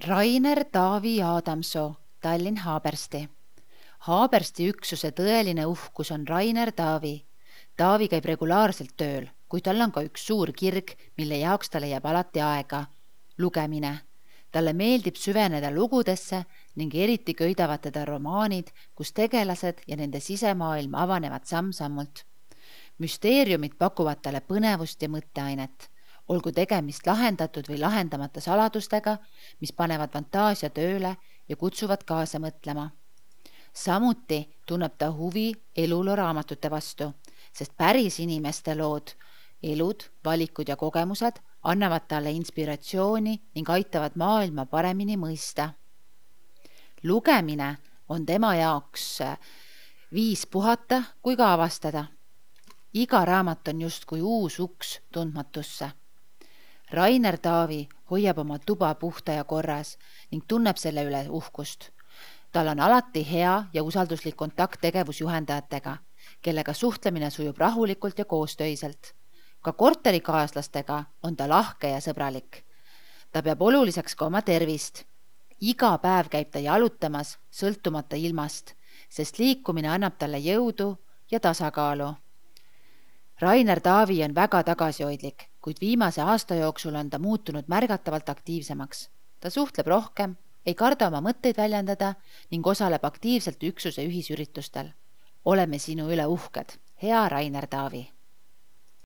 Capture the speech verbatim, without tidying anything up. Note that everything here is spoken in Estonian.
Rainer Taavi Adamsoo, Tallinn Haabersti. Haabersti üksuse tõeline uhkus on Rainer Taavi. Taavi käib regulaarselt tööl, kuid tal on ka üks suur kirg, mille jaoks ta leiab alati aega. Lugemine. Talle meeldib süveneda lugudesse ning eriti köidavad teda romaanid, kus tegelased ja nende sisemaailm avanevad samm-sammult. Müsteeriumid pakuvad talle põnevust ja mõtteainet. Olgu tegemist lahendatud või lahendamata saladustega, mis panevad fantaasia tööle ja kutsuvad kaasa mõtlema. Samuti tunneb ta huvi eluloo raamatute vastu, sest päris inimeste lood, elud, valikud ja kogemused annavad talle inspiratsiooni ning aitavad maailma paremini mõista. Lugemine on tema jaoks viis puhata kui ka avastada. Iga raamat on justkui uus uks tundmatusse. Rainer Taavi hoiab oma tuba puhta ja korras ning tunneb selle üle uhkust. Tal on alati hea ja usalduslik kontakt tegevusjuhendajatega, kellega suhtlemine sujub rahulikult ja koostöiselt. Ka korterikaaslastega on ta lahke ja sõbralik. Ta peab oluliseks ka oma tervist. Iga päev käib ta jalutamas, sõltumata ilmast, sest liikumine annab talle jõudu ja tasakaalu. Rainer Taavi on väga tagasihoidlik, kuid viimase aasta jooksul on ta muutunud märgatavalt aktiivsemaks. Ta suhtleb rohkem, ei karda oma mõtteid väljendada ning osaleb aktiivselt üksuse ühisüritustel. Oleme sinu üle uhked. Hea Rainer Taavi!